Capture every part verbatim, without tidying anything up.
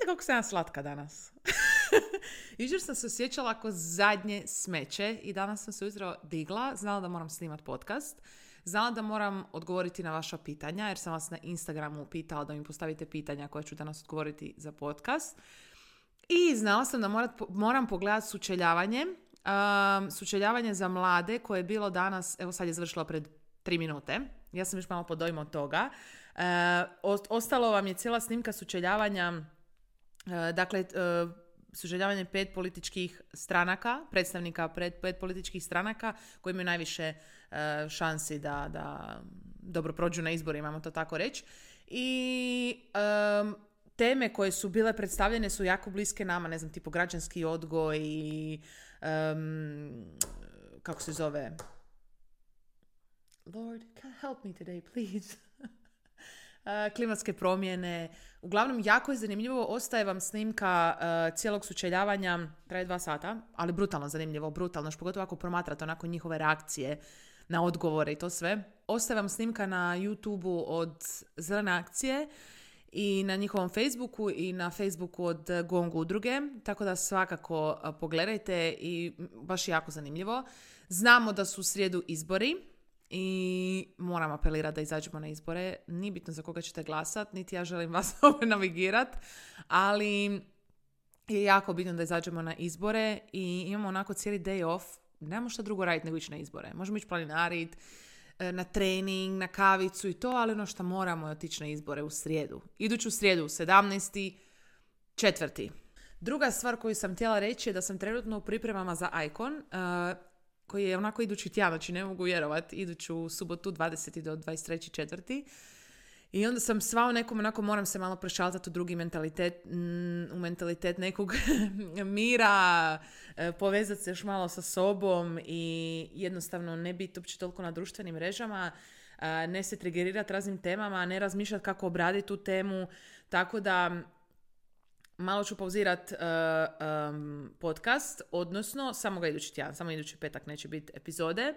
kako sam ja slatka danas. Jučer sam se osjećala ako zadnje smeće i danas sam se ujutro digla, znala da moram snimati podcast, znala da moram odgovoriti na vaša pitanja, jer sam vas na Instagramu pitala da mi postavite pitanja koje ću danas odgovoriti za podcast. I znala sam da morat, moram pogledati sučeljavanje, um, sučeljavanje za mlade koje je bilo danas, evo sad je završilo pred tri minute. Ja sam još malo pod dojmom od toga. Uh, ostalo vam je cijela snimka sučeljavanja, uh, dakle, uh, sučeljavanje pet političkih stranaka, predstavnika pred pet političkih stranaka koji imaju najviše uh, šansi da, da dobro prođu na izborima, imamo to tako reći. I um, teme koje su bile predstavljene su jako bliske nama, ne znam, tipo građanski odgoj i um, kako se zove? Lord, help me today, please. uh, klimatske promjene. Uglavnom, jako je zanimljivo. Ostaje vam snimka uh, cijelog sučeljavanja, traje dva sata, ali brutalno zanimljivo, brutalno, što pogotovo ako promatrate onako njihove reakcije na odgovore i to sve. Ostaje vam snimka na YouTubeu od Zelene akcije i na njihovom Facebooku i na Facebooku od Gong udruge, tako da svakako uh, pogledajte i baš je jako zanimljivo. Znamo da su u srijedu izbori i moram apelirati da izađemo na izbore. Nije bitno za koga ćete glasati, niti ja želim vas ovdje navigirat, ali je jako bitno da izađemo na izbore i imamo onako cijeli day off. Nemamo šta drugo raditi nego ići na izbore. Možemo ići planinarit, na trening, na kavicu i to, ali ono što moramo je otići na izbore u srijedu. Iduću srijedu, sedamnaesti četvrti Druga stvar koju sam htjela reći je da sam trenutno u pripremama za Icon, uh, koji je onako idući tjedan, znači ne mogu vjerovati, iduću subotu dvadeseti do dvadeset treći četvrti I onda sam sva u nekom, onako moram se malo prešaltati u drugi mentalitet, u mentalitet nekog mira, povezati se još malo sa sobom i jednostavno ne biti uopće toliko na društvenim mrežama, ne se trigerirati raznim temama, ne razmišljati kako obraditi tu temu, tako da malo ću pauzirati uh, um, podcast, odnosno samo ga idući tjedan, samo idući petak neće biti epizode,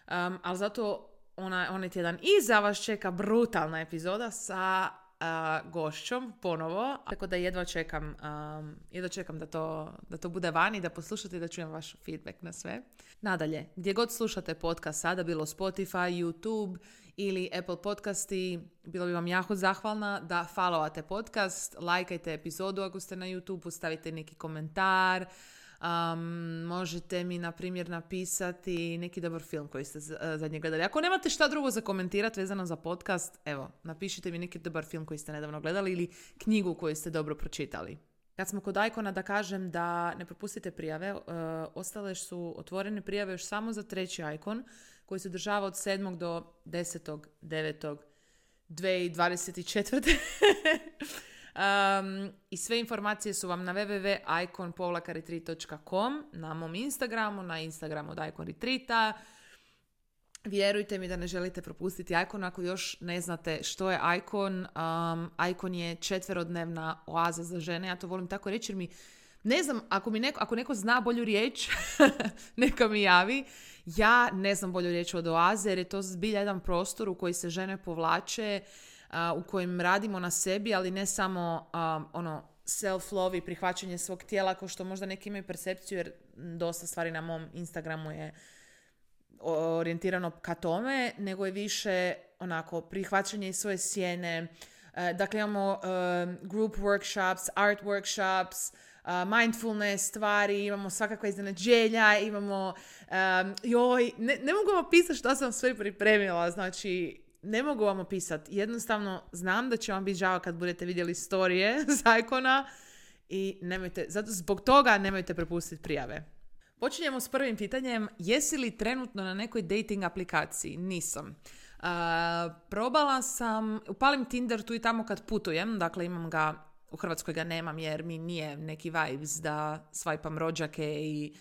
um, ali zato ona, onaj tjedan iza vas čeka brutalna epizoda sa uh, gošćom ponovo, tako da jedva čekam, um, jedva čekam da to, da to bude van i da poslušate i da čujem vaš feedback na sve. Nadalje, gdje god slušate podcast sada, bilo Spotify, YouTube ili Apple podcasti, bilo bi vam jako zahvalna da followate podcast, lajkajte epizodu ako ste na YouTube, stavite neki komentar, um, možete mi na primjer napisati neki dobar film koji ste zadnje gledali. Ako nemate šta drugo za komentirati vezano za podcast, evo, napišite mi neki dobar film koji ste nedavno gledali ili knjigu koju ste dobro pročitali. Kad smo kod Icona, da kažem da ne propustite prijave, uh, ostale su otvorene prijave još samo za treći Icon, koji se održava od sedmog do desetog devetog dvije tisuće dvadeset četvrte um, I sve informacije su vam na w w w tačka icon povlaka retreat tačka com, na mom Instagramu, na Instagramu od Icon Retreata. Vjerujte mi da ne želite propustiti Icon ako još ne znate što je Icon. Um, Icon je četverodnevna oaza za žene. Ja to volim tako reći jer mi, ne znam, ako, mi neko, ako neko zna bolju riječ, neka mi javi. Ja ne znam bolju riječ od oaze jer je to zbilja jedan prostor u koji se žene povlače, uh, u kojem radimo na sebi, ali ne samo um, ono self-love i prihvaćanje svog tijela kao što možda neki imaju percepciju, jer dosta stvari na mom Instagramu je orijentirano ka tome, nego je više onako prihvaćanje iz svoje sjene. Uh, dakle, imamo uh, group workshops, art workshops, uh, mindfulness stvari, imamo svakakva iznenađenja, imamo um, joj, ne, ne mogu vam opisati što sam sve pripremila, znači ne mogu vam opisati. Jednostavno znam da će vam biti žao kad budete vidjeli storije z Icona i nemojte, zato zbog toga nemojte prepustiti prijave. Počinjemo s prvim pitanjem. Jesi li trenutno na nekoj dating aplikaciji? Nisam. Uh, probala sam, upalim Tinder tu i tamo kad putujem, dakle imam ga, u Hrvatskoj ga nemam jer mi nije neki vibes da swipam rođake i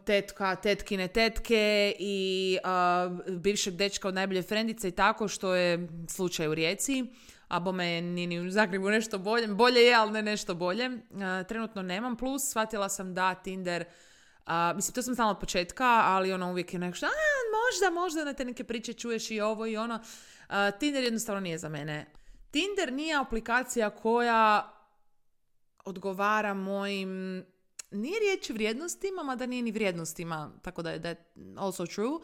tetka, tetkine tetke i uh, bivšeg dečka od najbolje frendice i tako, što je slučaj u Rijeci. A bome je ni u Zagrebu nešto bolje. Bolje je, ali ne nešto bolje. Uh, trenutno nemam. Plus, shvatila sam da Tinder, uh, mislim, to sam znala od početka, ali ono uvijek je nešto, a, možda, možda na te neke priče čuješ i ovo i ono. Uh, Tinder jednostavno nije za mene. Tinder nije aplikacija koja odgovara mojim, nije riječ vrijednostima, mada nije ni vrijednostima, tako da je that also true,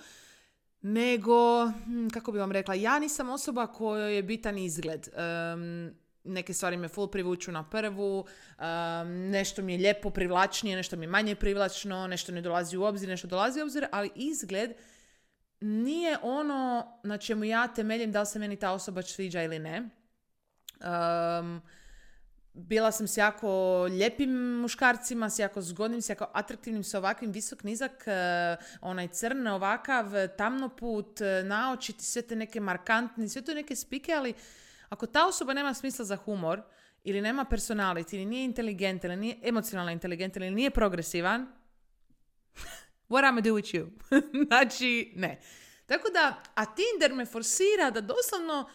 nego, kako bi vam rekla, ja nisam osoba kojoj je bitan izgled. Um, neke stvari me full privuču na prvu, um, nešto mi je lijepo privlačnije, nešto mi je manje privlačno, nešto ne dolazi u obzir, nešto dolazi u obzir, ali izgled nije ono na čemu ja temeljim da li se meni ta osoba sviđa ili ne. Um, bila sam s jako lijepim muškarcima, s jako zgodnim, s jako atraktivnim, s ovakvim visok, nizak, uh, onaj crn, ovakav, tamnoput, naočiti, sve te neke markantne, sve to neke spike, ali ako ta osoba nema smisla za humor, ili nema personality, ili nije inteligentan, ili nije emocionalno inteligentan, ili nije progresivan, what am I do with you? Znači, ne. Tako da, a Tinder me forsira da doslovno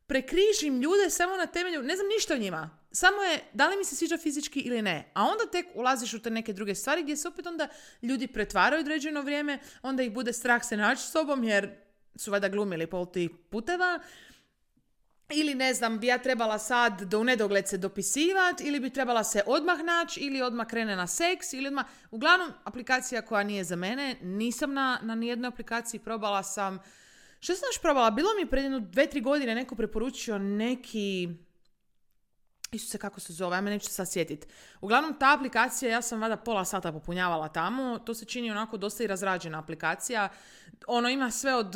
prekrižim ljude samo na temelju, ne znam ništa o njima. Samo je, da li mi se sviđa fizički ili ne. A onda tek ulaziš u te neke druge stvari gdje se opet onda ljudi pretvaraju određeno vrijeme, onda ih bude strah se naći s sobom jer su valjda glumili pol tih puteva. Ili ne znam, bi ja trebala sad do u nedogled se dopisivat, ili bi trebala se odmah naći, ili odmah krene na seks, ili odmah... Uglavnom, aplikacija koja nije za mene, nisam na, na nijednoj aplikaciji, probala sam... Što sam još probala? Bilo mi pred jedno dve, tri godine neko preporučio neki... Isuse, kako se zove, ja me neću se sad sjetiti. Uglavnom, ta aplikacija, ja sam vada pola sata popunjavala tamo, to se čini onako dosta i razrađena aplikacija. Ono ima sve od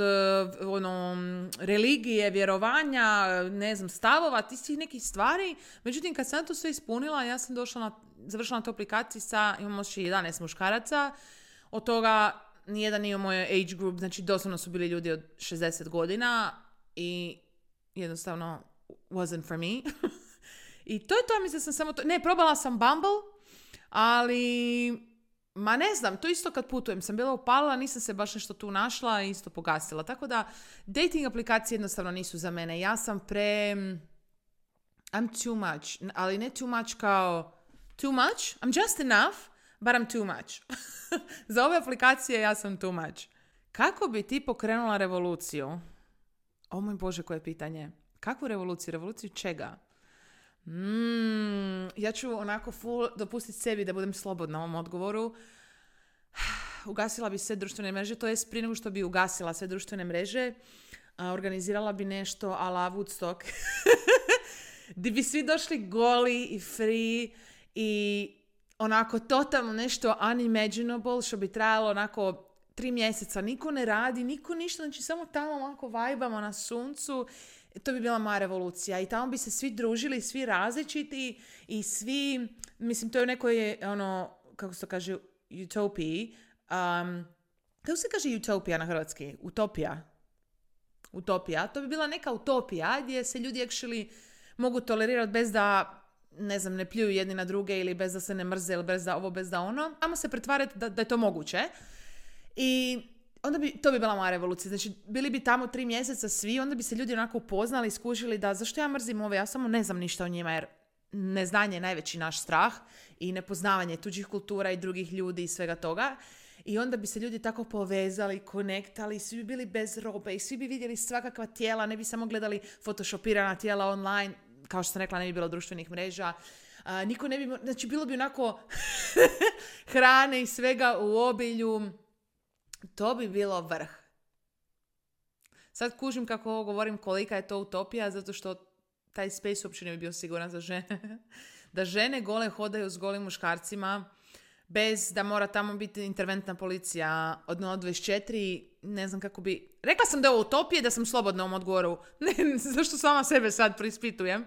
ono, religije, vjerovanja, ne znam, stavova, tih nekih stvari. Međutim, kad sam to sve ispunila, ja sam došla na, završila na toj aplikaciji sa, imamo još jedanaest muškaraca, od toga nijedan nije u mojoj age group, znači doslovno su bili ljudi od šezdeset godina i jednostavno wasn't for me. I to je to, mislim sam samo to... Ne, probala sam Bumble, ali... Ma ne znam, to isto kad putujem. Sam bila upalila, nisam se baš nešto tu našla i isto pogasila. Tako da, dating aplikacije jednostavno nisu za mene. Ja sam pre... I'm too much. Ali ne too much kao... Too much? I'm just enough, but I'm too much. Za ove aplikacije ja sam too much. Kako bi ti pokrenula revoluciju? O moj Bože, koje pitanje. Kakvu revoluciju? Revoluciju čega? Mm, ja ću onako full dopustiti sebi da budem slobodna u ovom odgovoru. Ugasila bi sve društvene mreže, to jest prije nego što bi ugasila sve društvene mreže, a, organizirala bi nešto a la Woodstock. Gdje bi svi došli goli i free i onako totalno nešto unimaginable što bi trajalo onako tri mjeseca. Niko ne radi, niko ništa, znači samo tamo onako vajbamo na suncu. To bi bila moja revolucija i tamo bi se svi družili, svi različiti i svi, mislim, to je u nekoj, ono, kako se to kaže, utopiji. Um, kako se kaže utopija na hrvatski? Utopija. Utopija. To bi bila neka utopija gdje se ljudi actually mogu tolerirati bez da, ne znam, ne pljuju jedni na druge ili bez da se ne mrze ili bez da ovo, bez da ono. Samo se pretvarati da, da je to moguće. I... onda bi, to bi bila moja revolucija. Znači, bili bi tamo tri mjeseca svi, onda bi se ljudi onako upoznali, skužili da zašto ja mrzim ove, ja samo ne znam ništa o njima, jer neznanje je najveći naš strah i nepoznavanje tuđih kultura i drugih ljudi i svega toga. I onda bi se ljudi tako povezali, konektali, svi bi bili bez robe i svi bi vidjeli svakakva tijela, ne bi samo gledali photoshopirana tijela online, kao što sam rekla, ne bi bilo društvenih mreža. Uh, niko ne bi, znači, bilo bi onako hrane i svega u obilju. To bi bilo vrh. Sad kužim kako ovo govorim kolika je to utopija, zato što taj space uopće ne bi bio siguran za žene. Da žene gole hodaju s golim muškarcima, bez da mora tamo biti interventna policija od nula do dvadeset četiri, ne znam kako bi... Rekla sam da je ovo utopija, da sam slobodna u ovom odgovoru. Ne, zašto sama sebe sad preispitujem?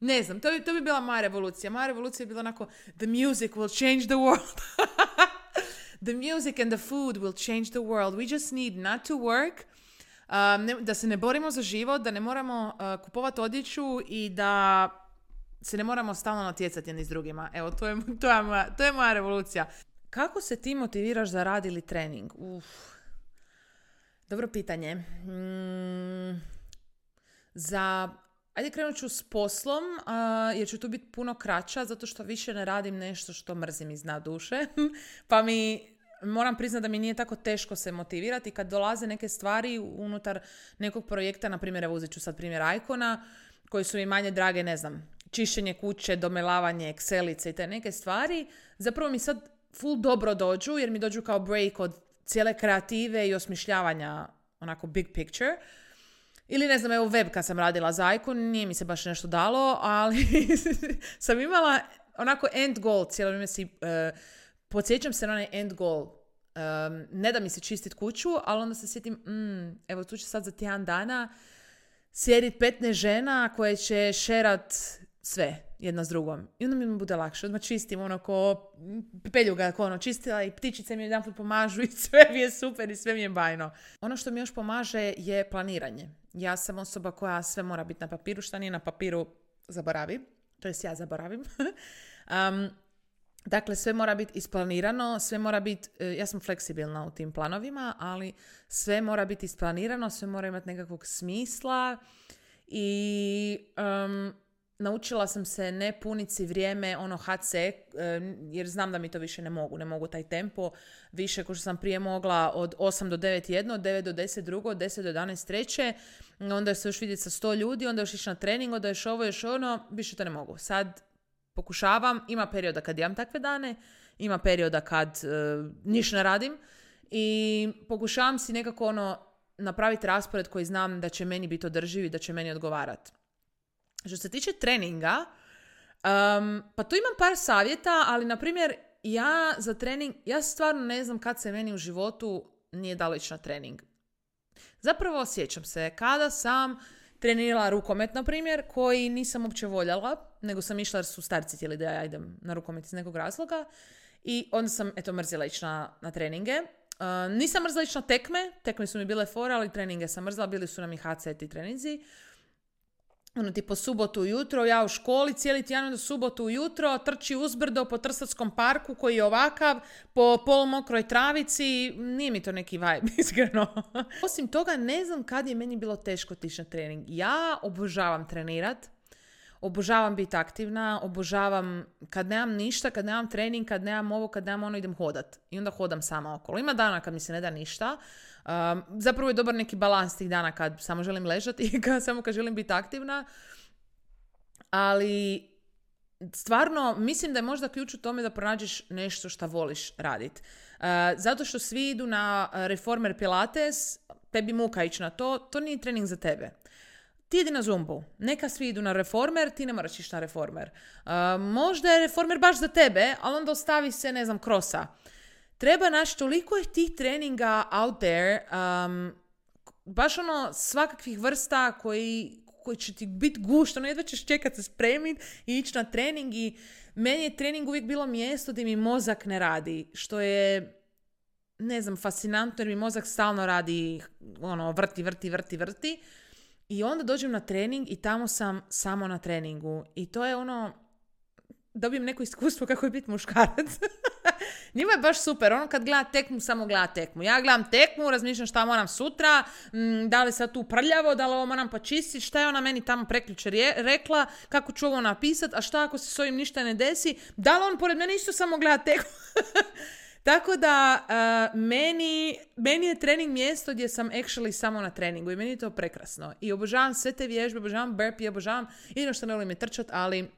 Ne znam, to bi, to bi bila moja revolucija. Moja revolucija je bila onako, the music will change the world. The music and the food will change the world. We just need not to work, um, ne, da se ne borimo za život, da ne moramo uh, kupovati odjeću i da se ne moramo stalno natjecati jedni s drugima. Evo, to je, to je, moja, to je moja revolucija. Kako se ti motiviraš za rad ili trening? Uf. Dobro pitanje. Mm, za... Ajde, krenut ću s poslom, uh, jer ću tu biti puno kraća, zato što više ne radim nešto što mrzim iz dna duše. Pa mi, moram priznati da mi nije tako teško se motivirati kad dolaze neke stvari unutar nekog projekta, na primjer, evo uzet ću sad primjer Icona, koji su mi manje drage, ne znam, čišćenje kuće, domelavanje, excelice i te neke stvari, zapravo mi sad full dobro dođu, jer mi dođu kao break od cijele kreative i osmišljavanja onako big picture. Ili ne znam, evo web kad sam radila za Icon, nije mi se baš nešto dalo, ali sam imala onako end goal, cijelo vrijeme si, uh, podsjećam se na onaj end goal. Um, ne da mi se čistit kuću, ali onda se sjetim, mm, evo tu će sad za tjedan dana sjedit petnaest žena koje će šerat sve jedna s drugom. I onda mi bude lakše. Odmah čistim ono ko peljuga, ko ono čistila i ptičice mi jedanput pomažu i sve mi je super i sve mi je bajno. Ono što mi još pomaže je planiranje. Ja sam osoba koja sve mora biti na papiru, šta nije na papiru zaboravi. To jest ja zaboravim. um, dakle, sve mora biti isplanirano, sve mora biti, ja sam fleksibilna u tim planovima, ali sve mora biti isplanirano, sve mora imati nekakvog smisla i um, naučila sam se ne puniti vrijeme ono ha ce, jer znam da mi to više ne mogu. Ne mogu taj tempo više ko što sam prije mogla od osam do devet jedno, od devet do deset drugo, od deset do jedanaest treće, onda se još vidjeti sa sto ljudi, onda još ići na trening, onda još ovo, još ono, više to ne mogu. Sad pokušavam, ima perioda kad imam takve dane, ima perioda kad uh, ništa ne radim i pokušavam si nekako ono napraviti raspored koji znam da će meni biti održiv i da će meni odgovarati. Što se tiče treninga, um, pa tu imam par savjeta, ali na primjer ja za trening, ja stvarno ne znam kad se meni u životu nije dalo ići na trening. Zapravo sjećam se kada sam trenirala rukomet, na primjer, koji nisam uopće voljela, nego sam išla jer su starci htjeli da ja idem na rukomet iz nekog razloga i onda sam, eto, mrzila ići na, na treninge. Uh, nisam mrzila ići na tekme, tekme su mi bile fora, ali treninge sam mrzila, bili su nam i ha ce ti treninzi. Ono ti po subotu ujutro, ja u školi cijeli tjedan do subotu ujutro trči uzbrdo po Trstarskom parku koji je ovakav, po polumokroj travici, nije mi to neki vibe, iskreno. Osim toga, ne znam kad je meni bilo teško otići na trening. Ja obožavam trenirat, obožavam biti aktivna, obožavam kad nemam ništa, kad nemam trening, kad nemam ovo, kad nemam ono, idem hodat. I onda hodam sama okolo. Ima dana kad mi se ne da ništa. Um, zapravo je dobar neki balans tih dana kad samo želim ležati i kad, samo kad želim biti aktivna. Ali stvarno mislim da je možda ključ u tome da pronađeš nešto što voliš raditi. Uh, zato što svi idu na reformer pilates, tebi muka ići na to, to nije trening za tebe. Ti idi na zumbu. Neka svi idu na reformer, ti ne moraš ići na reformer. Uh, možda je reformer baš za tebe, ali onda ostavi se, ne znam, krosa. Treba naći, toliko je tih treninga out there, um, baš ono svakakvih vrsta koji, koji će ti biti gušt, ono jedva ćeš čekat se spremiti i ići na trening i meni je trening uvijek bilo mjesto gdje mi mozak ne radi, što je, ne znam, fascinantno jer mi mozak stalno radi, ono, vrti, vrti, vrti, vrti i onda dođem na trening i tamo sam samo na treningu i to je ono, dobijem neko iskustvo kako je biti muškarac. Njima je baš super. Ono kad gleda tekmu, samo gleda tekmu. Ja gledam tekmu, razmišljam šta moram sutra, m, da li sad tu prljavo, da li ovo moram počistiti, šta je ona meni tamo prekjučer rekla, kako ću ovo napisati, a šta ako se s ovim ništa ne desi, da li on pored mene isto samo gleda tekmu. Tako da uh, meni, meni je trening mjesto gdje sam actually samo na treningu i meni je to prekrasno. I obožavam sve te vježbe, obožavam burpee, obožavam, jedino što ne volim je trčat, ali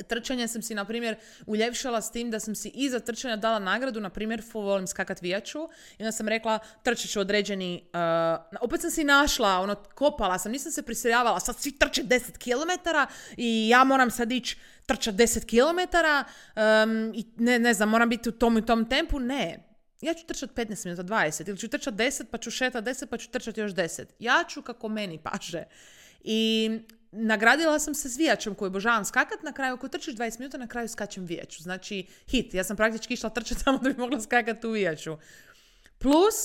trčanje sam si, na primjer, uljepšala s tim da sam si iza trčanja dala nagradu, na primjer, volim skakat vijaču i onda sam rekla, trčat ću određeni, uh, opet sam si našla, ono, kopala sam, nisam se prisiljavala, sad svi trče deset kilometara i ja moram sad ići trčat deset kilometara um, i ne, ne znam, moram biti u tom i tom tempu, ne. Ja ću trčat petnaest minuta, dvadeset, ili ću trčat deset, pa ću šetat deset, pa ću trčat još deset. Ja ću kako meni paše. I nagradila sam se s vijačom koju obožavam skakat, na kraju ako trčiš dvadeset minuta, na kraju skačem vijaču. Znači, hit. Ja sam praktički išla trčati samo da bi mogla skakati u vijaču. Plus,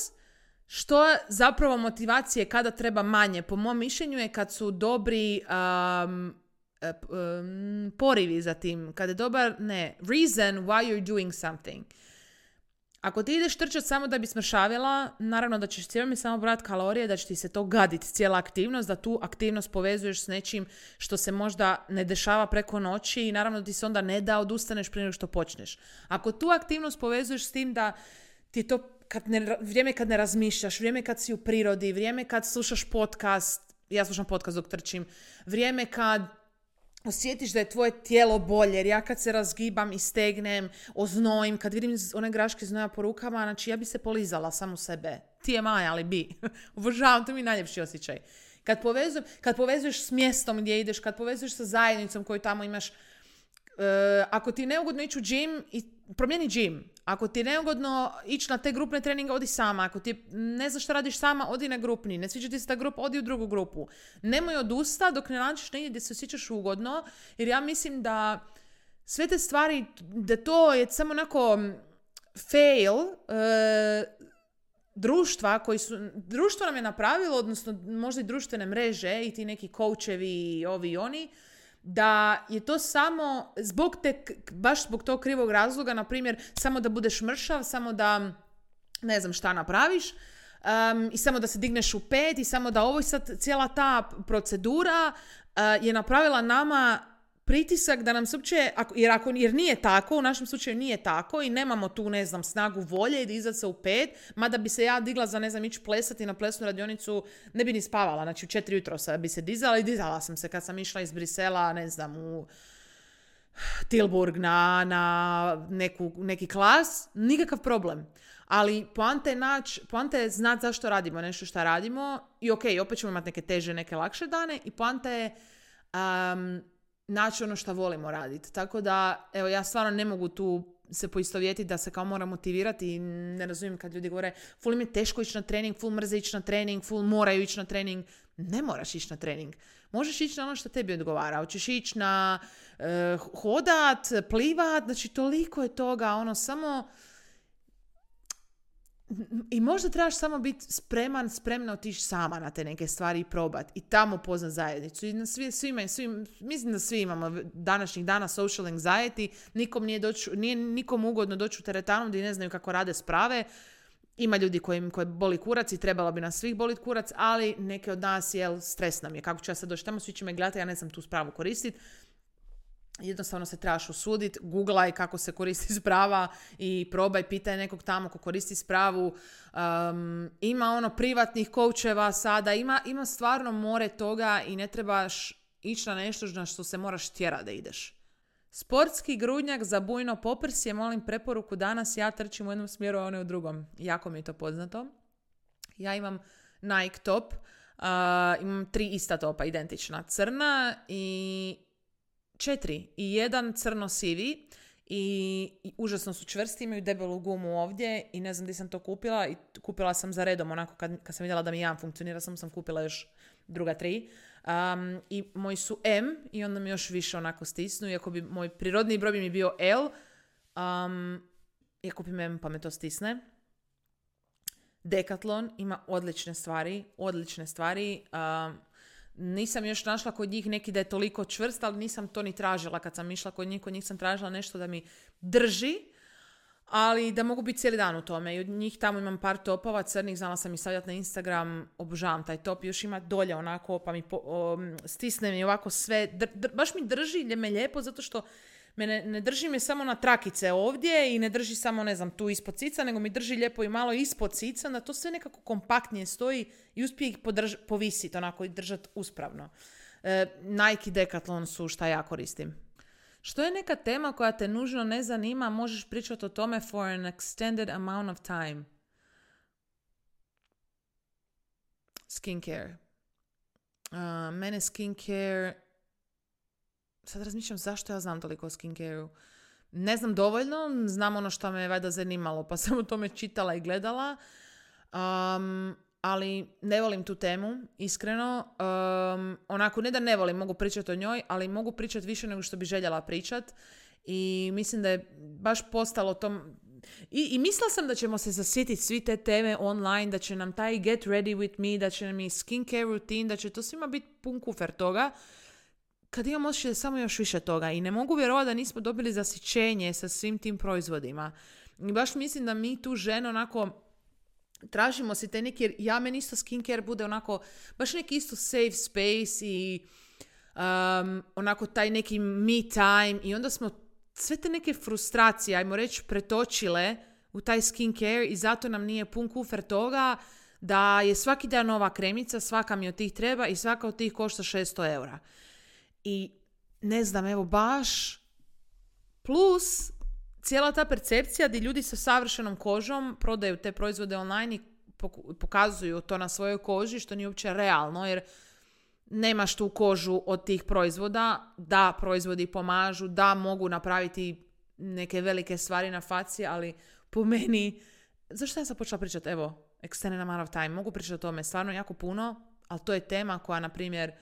što zapravo motivacije kada treba manje, po mom mišljenju je kad su dobri um, um, porivi za tim. Kad je dobar, ne, reason why you're doing something. Ako ti ideš trčati samo da bi smršavila, naravno da ćeš cijelo mi samo brati kalorije, da će ti se to gaditi cijela aktivnost, da tu aktivnost povezuješ s nečim što se možda ne dešava preko noći i naravno da ti se onda ne da odustaneš prije nego što počneš. Ako tu aktivnost povezuješ s tim da ti to kad ne, vrijeme kad ne razmišljaš, vrijeme kad si u prirodi, vrijeme kad slušaš podcast, ja slušam podcast dok trčim, vrijeme kad osjetiš da je tvoje tijelo bolje, jer ja kad se razgibam i stegnem, oznojim, kad vidim one graške znoja po rukama, znači ja bi se polizala samu sebe. Ti je Maja, ali bi. Obožavam, to mi je najljepši osjećaj. Kad, povezujem, kad povezuješ s mjestom gdje ideš, kad povezuješ sa zajednicom koju tamo imaš, Uh, ako ti je neugodno ići u džim, promijeni džim. Ako ti je neugodno ići na te grupne treninge, odi sama. Ako ti ne znaš što radiš sama, odi na grupni. Ne sviđa ti se ta grupa, odi u drugu grupu. Nemoj odusta dok ne nađeš negdje gdje se osjećaš ugodno, jer ja mislim da sve te stvari, da to je samo onako fail uh, društva koji su, društvo nam je napravilo, odnosno možda i društvene mreže i ti neki coachevi i ovi i oni, da je to samo zbog te, baš zbog tog krivog razloga, na primjer, samo da budeš mršav, samo da ne znam šta napraviš, um, i samo da se digneš u pet i samo da ovo i sad cijela ta procedura uh, je napravila nama pritisak da nam se uopće, ako, jer, ako, jer nije tako, u našem slučaju nije tako i nemamo tu, ne znam, snagu volje i da izaći se u pet, mada bi se ja digla za, ne znam, ići plesati na plesnu radionicu, ne bi ni spavala, znači u četiri jutro bi se dizala i dizala sam se kad sam išla iz Brisela, ne znam, u Tilburg na, na neku, neki klas, nikakav problem. Ali poanta je naći, poanta je znati zašto radimo nešto što radimo i ok, opet ćemo imati neke teže, neke lakše dane i poanta je um, naći ono što volimo raditi. Tako da, evo, ja stvarno ne mogu tu se poistovjetiti da se kao moram motivirati i ne razumijem kad ljudi govore ful im je teško ići na trening, ful mrze ići na trening, ful moraju ići na trening. Ne moraš ići na trening. Možeš ići na ono što tebi odgovara. Hoćeš ići na uh, hodat, plivat, znači toliko je toga, ono samo... I možda trebaš samo biti spreman, spremna otići sama na te neke stvari i probati. I tamo poznat zajednicu. I na svi, svima, svim, mislim da svi imamo današnjih dana social anxiety. Nikom nije, doći, nije nikom ugodno doći u teretanu gdje ne znaju kako rade sprave. Ima ljudi koji, koji boli kurac i trebalo bi nas svih boliti kurac, ali neke od nas, jel, stres nam je. Kako ću ja sad doći tamo, svi će me gledati, ja ne znam tu spravu koristiti. Jednostavno se trebaš usuditi, googlaj kako se koristi sprava i probaj, pitaj nekog tamo ko koristi spravu. Um, ima ono privatnih coacheva sada, ima, ima stvarno more toga i ne trebaš ići na nešto na što se moraš tjerati da ideš. Sportski grudnjak za bujno poprsje, molim preporuku danas, ja trčim u jednom smjeru, a one u drugom. Jako mi je to poznato. Ja imam Nike top, uh, imam tri ista topa, identična, crna i četiri. I jedan crno-sivi i, i užasno su čvrsti, imaju debelu gumu ovdje i ne znam gdje sam to kupila i kupila sam za redom, onako kad, kad sam vidjela da mi jedan funkcionira, sam sam kupila još druga tri. Um, I moji su M i onda mi još više onako stisnu, iako bi moj prirodni broj bi mi bio L, um, ja kupim M pa me to stisne. Decathlon ima odlične stvari, odlične stvari. Um, nisam još našla kod njih neki da je toliko čvrst, ali nisam to ni tražila kad sam išla kod njih, kod njih sam tražila nešto da mi drži, ali da mogu biti cijeli dan u tome. I od njih tamo imam par topova crnih, znala sam i stavljati na Instagram, obožavam taj top, još ima dolje onako, pa mi po, o, stisne mi ovako sve, dr, dr, baš mi drži me lijepo, zato što me ne, ne drži me samo na trakice ovdje i ne drži samo, ne znam, tu ispod cica, nego mi drži lijepo i malo ispod cica, da to sve nekako kompaktnije stoji i uspije ih podrž, povisiti onako i držati uspravno. E, Nike i Decathlon su šta ja koristim. Što je neka tema koja te nužno ne zanima, možeš pričati o tome for an extended amount of time. Skincare. Uh, mene skincare... Sad razmišljam zašto ja znam toliko o skincare-u. Ne znam dovoljno, znam ono što me je valjda zanimalo, pa sam o tome čitala i gledala. Um, ali ne volim tu temu, iskreno. Um, onako, ne da ne volim, mogu pričati o njoj, ali mogu pričati više nego što bi željela pričati. I mislim da je baš postalo tom... I, i mislila sam da ćemo se zasjetiti svi te teme online, da će nam taj get ready with me, da će nam i skincare routine, da će to svima biti pun kufer toga. Kad imam osjećaj samo još više toga i ne mogu vjerovati da nismo dobili zasićenje sa svim tim proizvodima. I baš mislim da mi tu žene onako tražimo si te neki, jer ja meni isto skincare bude onako baš neki isto safe space i um, onako taj neki me time i onda smo sve te neke frustracije, ajmo reći, pretočile u taj skincare i zato nam nije pun kufer toga da je svaki dan nova kremica, svaka mi od tih treba i svaka od tih košta šesto eura. I ne znam, evo baš plus cijela ta percepcija gdje ljudi sa savršenom kožom prodaju te proizvode online i pokazuju to na svojoj koži, što nije uopće realno, jer nemaš tu kožu od tih proizvoda. Da, proizvodi pomažu, da, mogu napraviti neke velike stvari na faci, ali po meni, zašto ja sam počela pričati, evo, extended amount of time, mogu pričati o tome stvarno jako puno, ali to je tema koja, na primjer,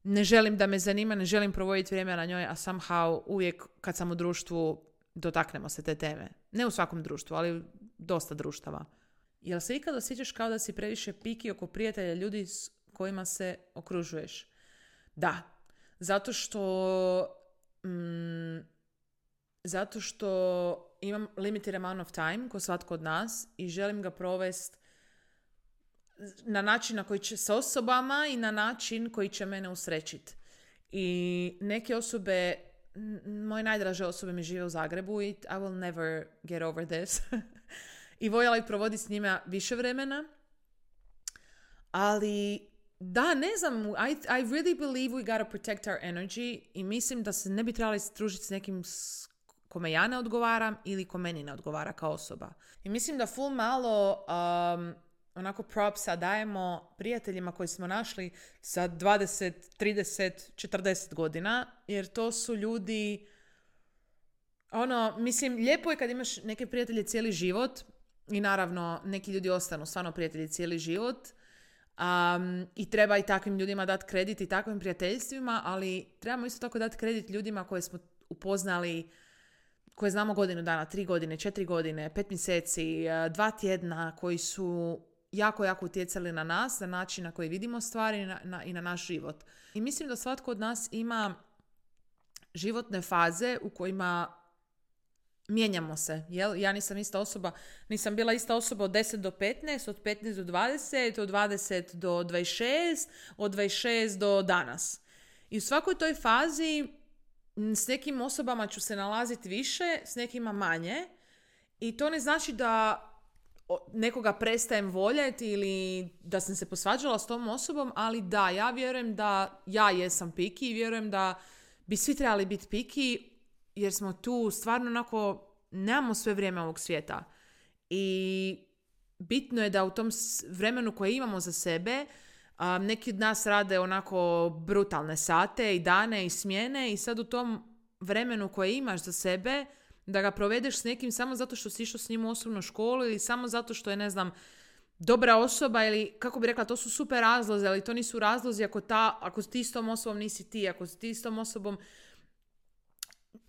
ne želim da me zanima, ne želim provoditi vrijeme na njoj, a somehow uvijek kad sam u društvu dotaknemo se te teme. Ne u svakom društvu, ali dosta društava. Jel se ikad osjećaš kao da si previše piki oko prijatelja, ljudi s kojima se okružuješ? Da. Zato što mm, zato što imam limited amount of time, ko svatko od nas, i želim ga provesti na način na koji će s osobama i na način koji će mene usrećiti. I neke osobe, moje najdraže osobe mi žive u Zagrebu i I will never get over this. I voljela ih provoditi s njima više vremena. Ali da, ne znam, I, I really believe we gotta protect our energy i mislim da se ne bi trebali družiti s nekim kome ja ne odgovaram ili ko meni ne odgovara kao osoba. I mislim da full malo um, onako propsa dajemo prijateljima koji smo našli sa dvadeset, trideset, četrdeset godina, jer to su ljudi, ono, mislim, lijepo je kad imaš neke prijatelje cijeli život i naravno neki ljudi ostanu stvarno prijatelji cijeli život. Um, i treba i takvim ljudima dati kredit i takvim prijateljstvima, ali trebamo isto tako dati kredit ljudima koje smo upoznali, koje znamo godinu dana, tri godine, četiri godine, pet mjeseci, dva tjedna, koji su jako, jako utjecali na nas, na način na koji vidimo stvari i na, na, i na naš život. I mislim da svatko od nas ima životne faze u kojima mijenjamo se. Jel? Ja nisam ista osoba, nisam bila ista osoba od deset do petnaest, od petnaest do dvadeset, od dvadeset do dvadeset šest, od dvadeset šest do danas. I u svakoj toj fazi s nekim osobama ću se nalaziti više, s nekima manje. I to ne znači da nekoga prestajem voljeti ili da sam se posvađala s tom osobom, ali da, ja vjerujem da ja jesam piki i vjerujem da bi svi trebali biti piki, jer smo tu stvarno onako, nemamo sve vrijeme ovog svijeta. I bitno je da u tom vremenu koje imamo za sebe, um, neki od nas rade onako brutalne sate i dane i smjene i sad u tom vremenu koje imaš za sebe, da ga provedeš s nekim samo zato što si išao s njim u osobnu školu ili samo zato što je, ne znam, dobra osoba ili, kako bi rekla, to su super razlozi, ali to nisu razlozi ako, ta, ako ti s tom osobom nisi ti, ako ti s tom osobom,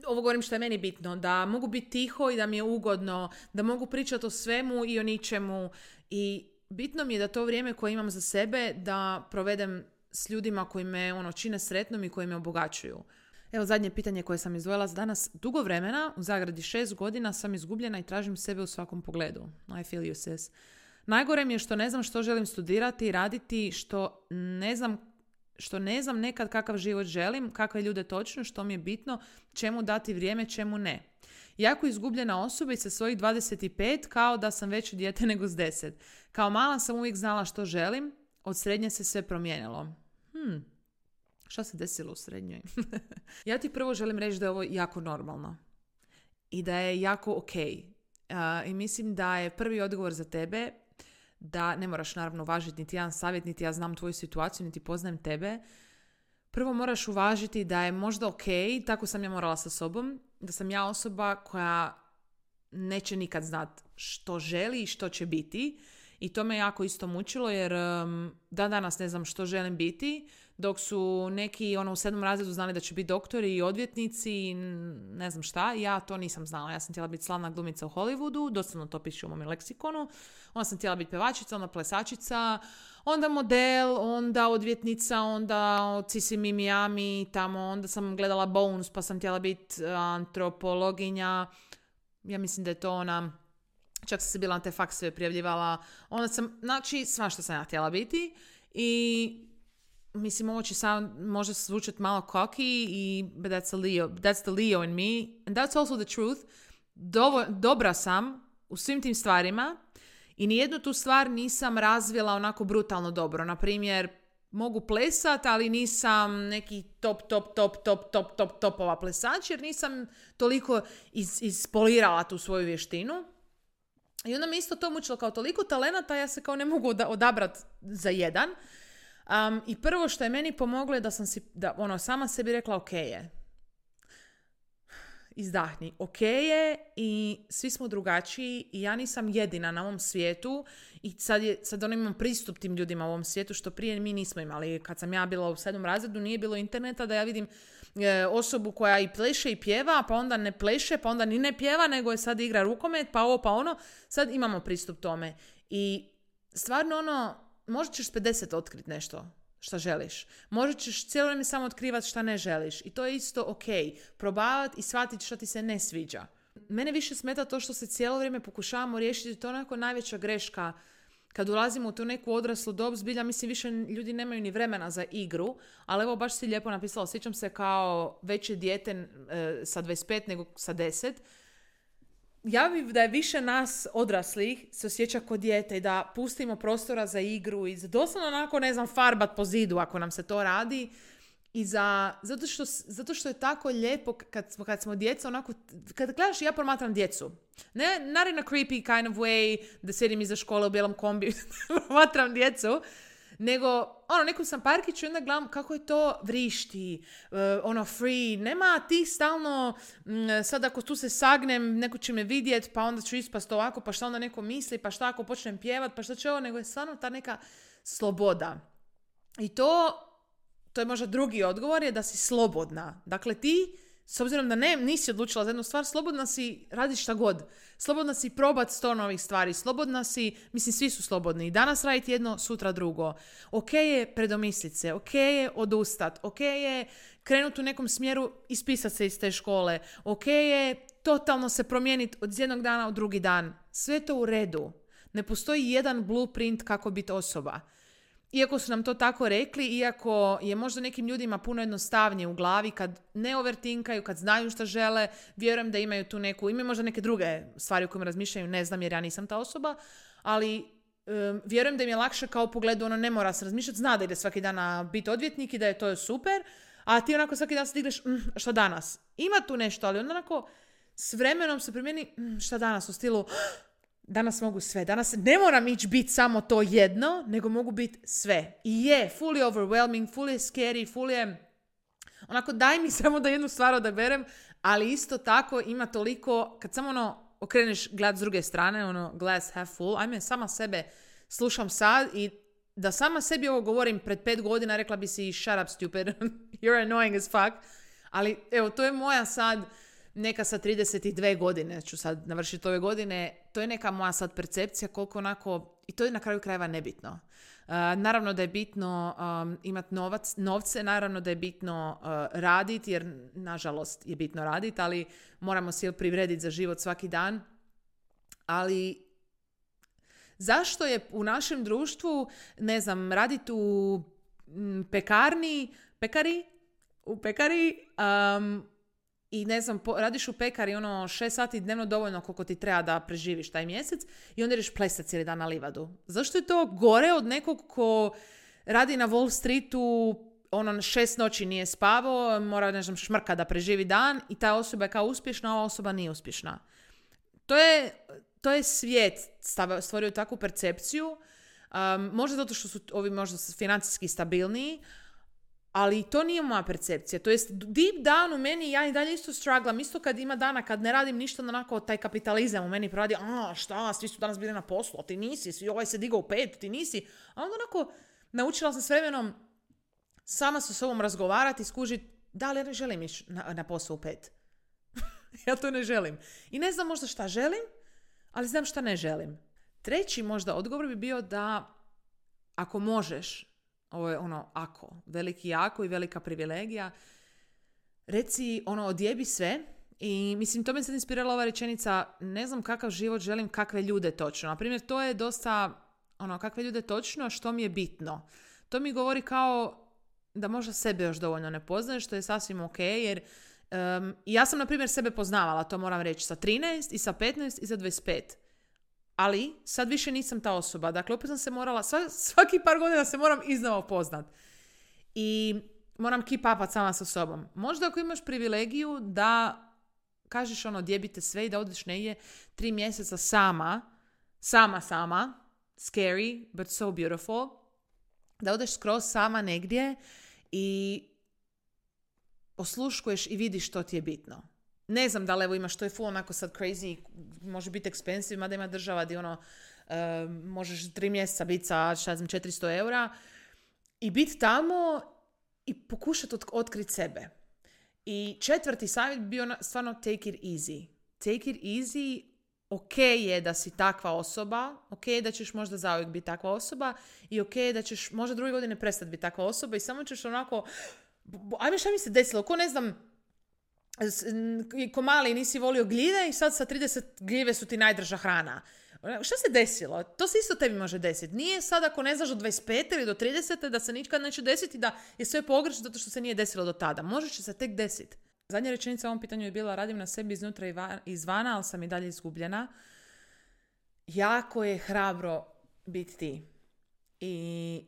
ovo govorim što je meni bitno, da mogu biti tiho i da mi je ugodno, da mogu pričati o svemu i o ničemu. I bitno mi je da to vrijeme koje imam za sebe da provedem s ljudima koji me ono, čine sretnom i koji me obogaćuju. Evo zadnje pitanje koje sam izdvojila za danas. Dugo vremena, u zagradi šest godina, sam izgubljena i tražim sebe u svakom pogledu. I feel you, sis. Najgore mi je što ne znam što želim studirati i raditi, što ne znam što ne znam nekad kakav život želim, kakve ljude točno, što mi je bitno, čemu dati vrijeme, čemu ne. Jako izgubljena osoba i sa svojih dvadeset pet kao da sam veće dijete nego s deset. Kao mala sam uvijek znala što želim, od srednje se sve promijenilo. Hmm, šta se desilo u srednjoj? Ja ti prvo želim reći da je ovo jako normalno i da je jako ok. Uh, I mislim da je prvi odgovor za tebe da ne moraš naravno uvažiti niti jedan savjet, niti ja znam tvoju situaciju, niti poznajem tebe. Prvo moraš uvažiti da je možda ok, tako sam ja morala sa sobom, da sam ja osoba koja neće nikad znat što želi i što će biti. I to me jako isto mučilo jer um, dan danas ne znam što želim biti, dok su neki ono, u sedmom razredu znali da će biti doktori i odvjetnici i ne znam šta. Ja to nisam znala. Ja sam htjela biti slavna glumica u Hollywoodu, doslovno to piše u mom leksikonu. Onda sam htjela biti pevačica, onda plesačica, onda model, onda odvjetnica, onda Sisi Mi Miami, tamo, onda sam gledala Bones pa sam htjela biti antropologinja. Ja mislim da je to ona, čak sam se bila na te faksove prijavljivala. Onda sam, znači, sva što sam ja htjela biti i mislim, ovo će sam možda zvučati malo cocky i but that's, a Leo, that's the Leo in me and that's also the truth. Dovo, dobra sam u svim tim stvarima i nijednu tu stvar nisam razvila onako brutalno dobro. Na primjer, mogu plesat, ali nisam neki top, top, top, top, top, top, topova plesač, jer nisam toliko is, ispolirala tu svoju vještinu. I onda me isto to mučilo kao toliko talenata, ja se kao ne mogu odabrati za jedan. Um, I prvo što je meni pomoglo je da sam si, da ono, sama sebi rekla ok je. Izdahni. Ok je i svi smo drugačiji i ja nisam jedina na ovom svijetu i sad, je, sad on imam pristup tim ljudima u ovom svijetu što prije mi nismo imali. Kad sam ja bila u sedmom razredu nije bilo interneta da ja vidim e, osobu koja i pleše i pjeva, pa onda ne pleše, pa onda ni ne pjeva, nego je sad igra rukomet, pa ovo, pa ono. Sad imamo pristup tome. I stvarno ono, možda ćeš s pedeset otkriti nešto šta želiš. Možda ćeš cijelo vrijeme samo otkrivati šta ne želiš. I to je isto ok. Probavati i shvatiti šta ti se ne sviđa. Mene više smeta to što se cijelo vrijeme pokušavamo riješiti. To je onako najveća greška. Kad ulazimo u tu neku odraslu dob, zbilja, mislim, više ljudi nemaju ni vremena za igru. Ali evo, baš si lijepo napisala. Sjećam se kao veće dijete e, sa dvadeset pet nego sa deset. Ja bih da je više nas odraslih se osjeća kod dijete i da pustimo prostora za igru i za doslovno onako, ne znam, farbat po zidu ako nam se to radi. I za, zato, što, zato što je tako lijepo kad smo, kad smo djeca onako, kad gledaš, ja promatram djecu. Ne, not in a creepy kind of way, da sjedim iza škole u bijelom kombi, promatram djecu. Nego, ono, nekom sam parkiću i onda gledam kako je to vrišti, uh, ono, free. Nema ti stalno, m, sad ako tu se sagnem, neko će me vidjet, pa onda ću ispast ovako, pa šta onda neko misli, pa šta ako počnem pjevat, pa šta će ovo, nego je stvarno ta neka sloboda. I to, to je možda drugi odgovor, je da si slobodna. Dakle, ti, s obzirom da ne, nisi odlučila za jednu stvar, slobodna si, radiš šta god. Slobodna si probat sto novih stvari. Slobodna si, mislim, svi su slobodni. Danas raditi jedno, sutra drugo. Ok je predomislit se, ok je odustat, ok je krenuti u nekom smjeru, ispisat se iz te škole. Ok je totalno se promijeniti od jednog dana u drugi dan. Sve to u redu. Ne postoji jedan blueprint kako biti osoba. Iako su nam to tako rekli, iako je možda nekim ljudima puno jednostavnije u glavi kad ne overtinkaju, kad znaju šta žele, vjerujem da imaju tu neku, imaju možda neke druge stvari u kojima razmišljaju, ne znam jer ja nisam ta osoba, ali um, vjerujem da im je lakše kao u pogledu, ono, ne mora se razmišljati, zna da ide svaki dan biti odvjetnik i da je to super, a ti onako svaki dan se digneš, mm, šta danas? Ima tu nešto, ali onda onako s vremenom se primjeni, mm, šta danas, u stilu, danas mogu sve. Danas ne moram ići biti samo to jedno, nego mogu biti sve. I je, full je overwhelming, full je scary, full je onako, daj mi samo da jednu stvar odaberem, ali isto tako ima toliko, kad samo ono okreneš gled s druge strane, ono glass half full, ajme, sama sebe slušam sad i da sama sebi ovo govorim pred pet godina, rekla bi si shut up stupid, you're annoying as fuck, ali evo, to je moja sad neka sa trideset dvije godine, ću sad navršiti ove godine, to je neka moja sad percepcija koliko onako, i to je na kraju krajeva nebitno. Uh, naravno da je bitno um, imati novac, novce, naravno da je bitno uh, raditi, jer nažalost je bitno raditi, ali moramo se privrediti za život svaki dan. Ali zašto je u našem društvu, ne znam, raditi u m, pekarni, pekari, u pekari, um, i ne znam, po, radiš u pekari ono šest sati dnevno dovoljno koliko ti treba da preživiš taj mjesec i onda ideš plesati cijeli dan na livadu. Zašto je to gore od nekog ko radi na Wall Streetu, ono šest noći nije spavao, mora, ne znam, šmrka da preživi dan i ta osoba je kao uspješna, a ova osoba nije uspješna. To je, to je svijet stvorio takvu percepciju, um, možda zato što su ovi možda financijski stabilniji, ali to nije moja percepcija. To jest, deep down u meni ja i dalje isto strugglam. Isto kad ima dana kad ne radim ništa, onako taj kapitalizam u meni proradi, a šta, svi su danas bili na poslu, a ti nisi, svi ovaj se digao u pet, ti nisi. A onda onako naučila sam s vremenom sama sa sobom razgovarati i skužiti da li ja ne želim ići na, na posao u pet. Ja to ne želim. I ne znam možda šta želim, ali znam šta ne želim. Treći možda odgovor bi bio da ako možeš, ovo je ono ako, veliki ako i velika privilegija, reci ono odjebi sve i mislim to me sad inspirala ova rečenica, ne znam kakav život želim, kakve ljude točno. Naprimjer, to je dosta ono kakve ljude točno, što mi je bitno. To mi govori kao da možda sebe još dovoljno ne poznaješ, što je sasvim ok, jer um, ja sam na primjer sebe poznavala, to moram reći, sa trinaest i sa petnaest i sa dvadeset pet. Ali sad više nisam ta osoba. Dakle, opet sam se morala, svaki par godina se moram iznova upoznat. I moram keep upat sama sa sobom. Možda ako imaš privilegiju da kažeš ono, djebite sve i da odeš negdje tri mjeseca sama, sama, sama, scary, but so beautiful, da odeš skroz sama negdje i osluškuješ i vidiš što ti je bitno. Ne znam da li evo imaš, to je full onako sad crazy, može biti expensive, mada ima država gdje ono, uh, možeš tri mjeseca biti sa, šta znam, četiristo eura i biti tamo i pokušati ot- otkriti sebe. I četvrti savjet bi bio stvarno take it easy. Take it easy, ok je da si takva osoba, ok je da ćeš možda zauvijek biti takva osoba i ok je da ćeš možda druge godine prestati biti takva osoba i samo ćeš onako, ajme šta mi se desilo, ko ne znam, ko mali nisi volio gljive i sad sa trideset gljive su ti najdrža hrana. Šta se desilo? To se isto tebi može desiti. Nije sad ako ne znaš do dvadeset pete ili do tridesete da se nikad neće desiti da je sve pogrešno zato što se nije desilo do tada. Može će se tek desiti. Zadnja rečenica u ovom pitanju je bila radim na sebi iznutra i izvana, ali sam i dalje izgubljena. Jako je hrabro biti ti. I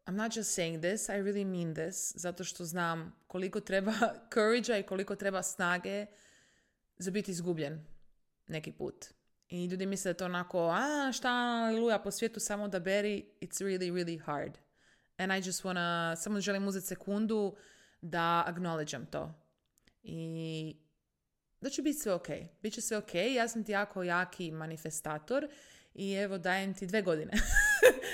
I'm not just saying this, I really mean this, zato što znam koliko treba courage-a i koliko treba snage za biti izgubljen neki put. I ljudi misle da je to onako, a šta, aleluja, po svijetu samo da beri, it's really, really hard. And I just wanna, samo želim uzeti sekundu da acknowledgeam to. I da će biti sve ok. Biće sve ok, ja sam ti jako jaki manifestator i evo dajem ti dve godine.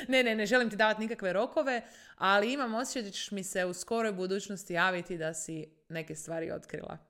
ne, ne, ne želim ti davati nikakve rokove, ali imam osjećaj da ćeš mi se u skoroj budućnosti javiti da si neke stvari otkrila.